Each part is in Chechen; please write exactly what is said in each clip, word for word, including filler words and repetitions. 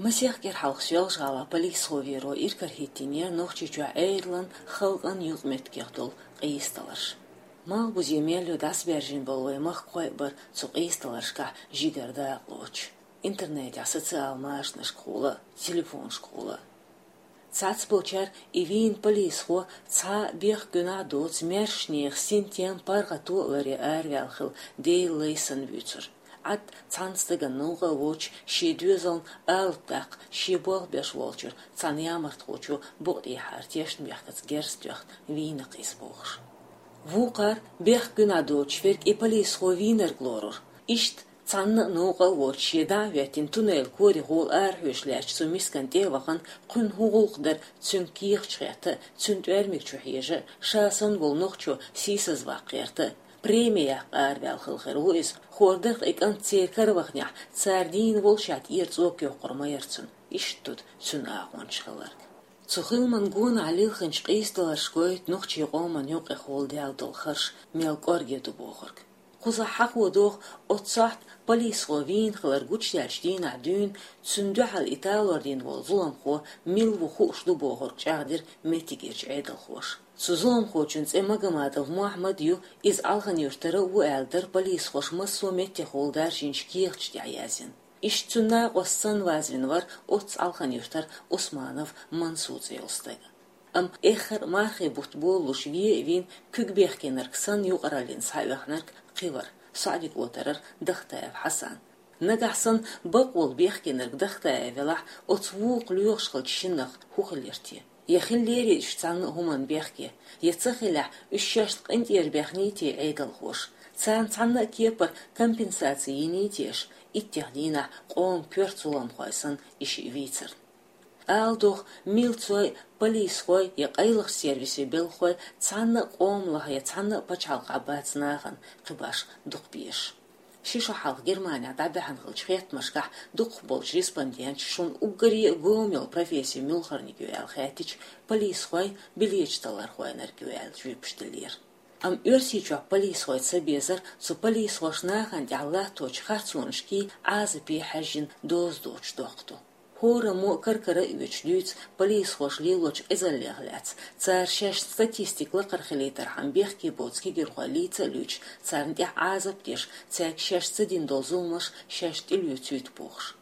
Масех кӀира хьалха Соьлжа-ГӀалахь полисхо веро иркарахӀиттийнера Нохчийчохь Ӏедалан, халкъан юкъаметтигех долу къийсадаларш. Малхбузе мел йо дӀасабаьржина болу вайн махкахой а бара цу къийсадаларшкахь жигара дакъалоцуш, интернетехь, социал машанашкахула, телефонашкахула. Цхьаццаболчара и вийна полисхо цхьа а бехк-гуьнахь доцу маьршачу нехан синтем, паргӀато а ларъян араваьлла хилла Делан лай санна вуьйцура. Ӏад цхьана стагана новкъа а воцуш, шен доьзална алапа даккха, шен болх беш волчуьра цхьана ямартхочо букъа тӀехьара тешнабехкаца герз тоьхна вийна-кх иза бохуш. Вукхара бехк-гуьнахь доцуш верг и полисхо вийнарг лорура. Иштта цхьанна а новкъа а воцуш, шен дӀа а хӀоьттина, туннелан корехула арахьоьжуш лаьттачу цу мискана тӀе а вахана, кхуьнан хӀун гӀуллакх дара цуьнга кехаташ хетта, цуьнан тӀоьрмиг чу хьежа, ша санна волу нохчо сийсазваккха гӀерта, преми яккха араваьлла хилла хир ву иза, хӀора дара-кх и кӀант церан кара ваханехь, цара дийна волушехь тӀера цӀока йоккхур ма яра цунна, иштта ду цуьнан агӀончаш хилларг. Цу хиламан гонах лилхинчу къийсадаларша гойту нохчийн къоман юкъехула даьлла долу харш мел кӀорге ду бохург. Кхузахь хьахо доху, оццу сохьта полисхо вийна хилар гучудаьллачу дийнахь дуьйна, цунна дуьхьал и талор дина волу зуламхо мила ву хууш ду бохург чӀагӀдира меттигерчу Ӏедалхоша. Цу зуламхочун цӀе Магомадов Мухьаммад ю, иза Алхан-Юьртара а ву аьлла дара полисхоша массо а меттехула даржийначу кехаташ тӀехь яздина. Иштта цуьнан накъост санна вазвина вара оццу Алхан-Юьртара Усманов Мансур цӀе йолу стаг. Амма эххар а мархийн бутт болалуш вен а вийна, куьг бехкенарг санна юкъараллина схьаоьхнарг кхин вара, СаӀди-КӀотарара Дахтаев Хьасан. Нагахь санна бакъволу бехкенарг Дахтаев велахь, оцу вукху лоьхуш хиллачу шиннах хӀун хилира те? Я хиллера уьш цхьанна а хӀуманна бехке, я ца хилахь, уьш шаьшна къинтӀера баьхний те Ӏедалхоша? Царна цхьанна а кепара компенсаци йиний те аша, иттех дийнахь къоман коьрта зуламхой санна и шиъ вийцарна? Ала догӀу, милцой, полисхой я къайлахчу сервисийн белхахой цхьанна а къоман лахахь я цхьанна а пачхьалкхахь бац нахана кхин башха дукха безаш. Ши шо хьалха Германехь дӀабаьхьна хиллачу хеттамашкахь дукхахболчу респонденташа шуна уггаре а гома йолу профессия муьлхарниг ю аьлла хаьттича, полисхой, билеташ таллархойнарг ю аьлла жоьпаш деллера. Амма Оьрсийчохь полисхой ца безар цу полисхоша нахана тӀехь латточу харцонашкий, Ӏазапе хьаьжжина доза доцуш доккха ду. ХӀораммо а кар-кара а оьцуш дуьйцу полисхоша лелочу къизаллех лаьцна, цара шаьш статистика лакхара хилийтархьама бехке боцу кегирхой лийца а луьйчу, царна тӀехь Ӏазап деш, цаьрга шаьш ца дина долу зуламаш шаьш тӀелоьцуьйту бохуш.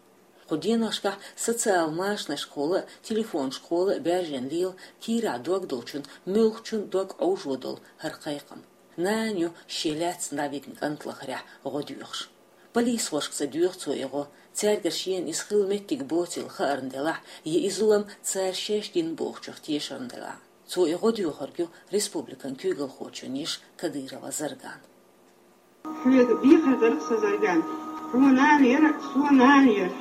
Кху деношкахь социал машанашкахула а, телефонашкахула а баьржина лела, кийрахь дог долчун муьлххачун дог Ӏовжо долу хӀара кхайкхам. Нана ю шен лаьцна дӀавигна кӀант лахарехь гӀо доьхуш. Полисхошка ца доьху цо и гӀо, цаьргара шена иза хила меттиг боцийла хаарна делахь, я и зулам цара шаьш дина бохучух тешарна делахь. Цо и гӀо доьхург ю республикан куьйгалхочун йиша Кадырова Зарган. Хьоьга дехар дара-кх сан, Зарган. Хьо нана яра, со нана яра.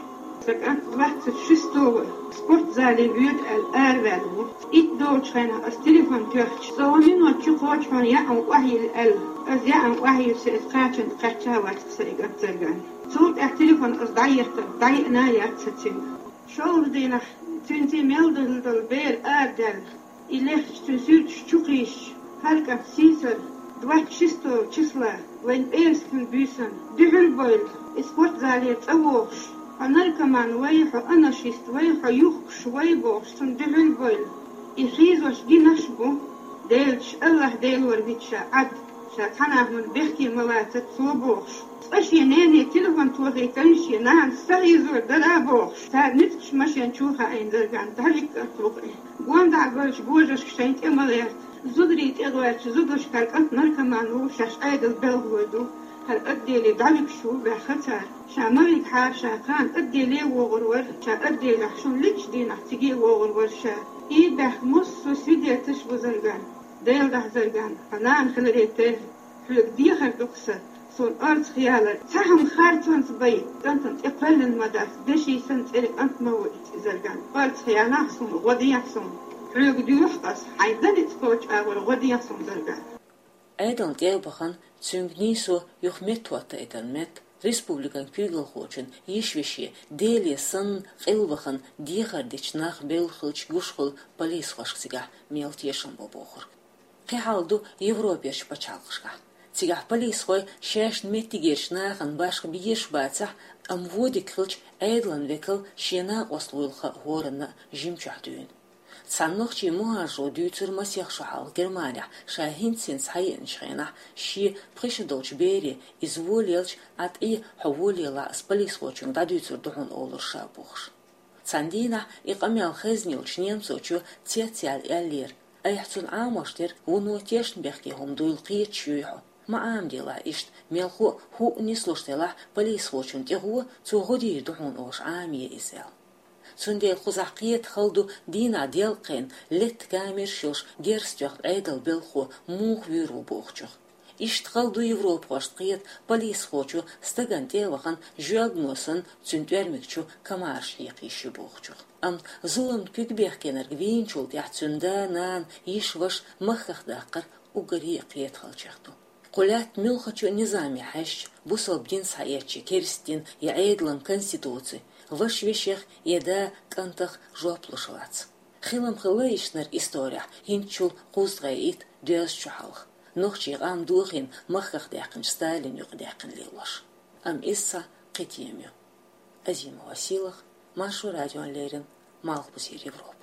Сан кӀант двадцать шестого спортзале воьду аьлла араваьлла ву. Итт долчу хенахь ас телефон тоьхча, со гӀо минот чу кхочу хьуна яа охьайилла аьлла. Ас яа охьайиллича, иза кхачанна кхаьчна вац-кх сан и кӀант, Зарган. Цул тӀаьхьа телефон ас дӀаеттара, дӀаиъна а яц сан цуьнга. ШолгӀа дийнахь цуьнца мел дан долу бер арадаьлла, и лехча цуьнан суьрташ чу кхийсча, хӀара кӀант сийсара, двадцать шестого числа, вайн пӀераскан буьйсанна, дуьхьал бойла, и спортзалера цӀа вогӀуш, хьо наркоман вай, хьо анашист вай, хьо юхкуш вай бохуш, цунна дуьхьал бойла. И хьийзош гинарш а бу, Делаца, АллахӀ-Делора витина ша Ӏад, ша цхьана а хӀуманна бехке ма лацара цо бохуш. Цкъа шен нене телефон тохийтина, шен нанас са хьийзор дара бохуш, цара ницкъаш машен чу хаийна, Зарган, дӀавигна кӀант ву-кх и. Гондахь болчу божаршка шайна тӀе ма гӀерта. Зударий тӀе гӀоьртича, зударшка хӀара кӀант наркоман ву шаьш Ӏедалан белхалой ду. ХӀара отделе дӀавигаш ву баьхна цара. Ша ма вигахьара, ша кхана отделе вогӀур вара, ша отделехь шуна личча дийнахь циге вогӀур вара ша. И баьхна массо а свидетельш бу, Зарган. Делахь, Зарган, хьан нана хиларе терра, хьоьга дехар ду-кх сан, суна орцах ялар, цхьа хӀума харцонца бай, кӀантана тӀе кхоьллина ма дац, деши санна цӀера кӀант ма ву и, Зарган. Орцах ялахь суна, гӀо дехьа суна. Хьоьга доьху-кх ас, хьайн дан ницкъ кхочу агӀор гӀо дехьа суна, Зарган. Ӏедална тӀе а бахана, цуьнга нийсо юха меттахӀоттайтаран метта, республикан куьйгалхочун йиша-веше, Деле санна, къилбахана дехар дечу нах белла хилча гуш хуьлу полисхошка цигахь мел тешам бо бохург. Кхин хьал ду Европерчу пачхьалкхашкахь. Цигахь полисхой шаьшна меттигерчу нахана башха безаш бацахь, Амма вон дика хилча, Ӏедалан векал шен накъост вуйла хаа хӀоранна а жимчохь дуьйна. Цхьана нохчийн мухӀажаро дуьйцура масех шо хьалха Германехь ша хӀинц-хӀинца схьаеанчу хенахь, шен пхи шо долчу бере, иза вон лелча, Ӏа тӀе хьо вон лелахь, ас полисхочуьнга дӀадуьйцур ду хьуна, олура ша бохуш. Цхьана дийнахь и къамел хезна йолчу немцочо цецъяьлла аьллера: «Айхьа цунна Ӏамош дерг, вуно тешнабехке хӀума дуйла кхеташ юй хьо? Ма Ӏамаделахь иштта, мелхо а хӀуъа нислуш делахь, полисхочунна тӀе гӀо, цо гӀо дийр ду хьуна олуш Ӏамае иза», — аьлла. Цундела кхузахь кхета хала ду дийнахь делкъахь летта камераш йолуш герз тоьхна Ӏедалан белхахо муха вуьйр ву бохучух. Иштта хала ду европахошна кхета полисхочо стагана тӀе а вахана, жоьгано санна, цуьнан тӀоьрмиг чу комараш хьекха йиш ю бохучух. Амма зуламна куьг бехкенарг вийначул тӀаьхьа цуьнан да, нана, йиша, ваша махках даккхар уггаре а кхетахаллех ду. Кху лаьтта муьлххачу низаме хьаьжча, бусалба дин схьаэцча, керста дин я Ӏедалан конституци, ваша вешех я да кӀантах жоп луш вац. Хилам хилла иштанара исторехь хӀинцачул кхузткъе итт-доьзткъа шо хьалха, нохчийн къам дохийна махках даьккхинчу Сталина юкъа даьккхина лелош. Амма иза цхьа кхин тема ю. Азимова Сийлаха, Маршо радиона леррина, Малхбузера Европа.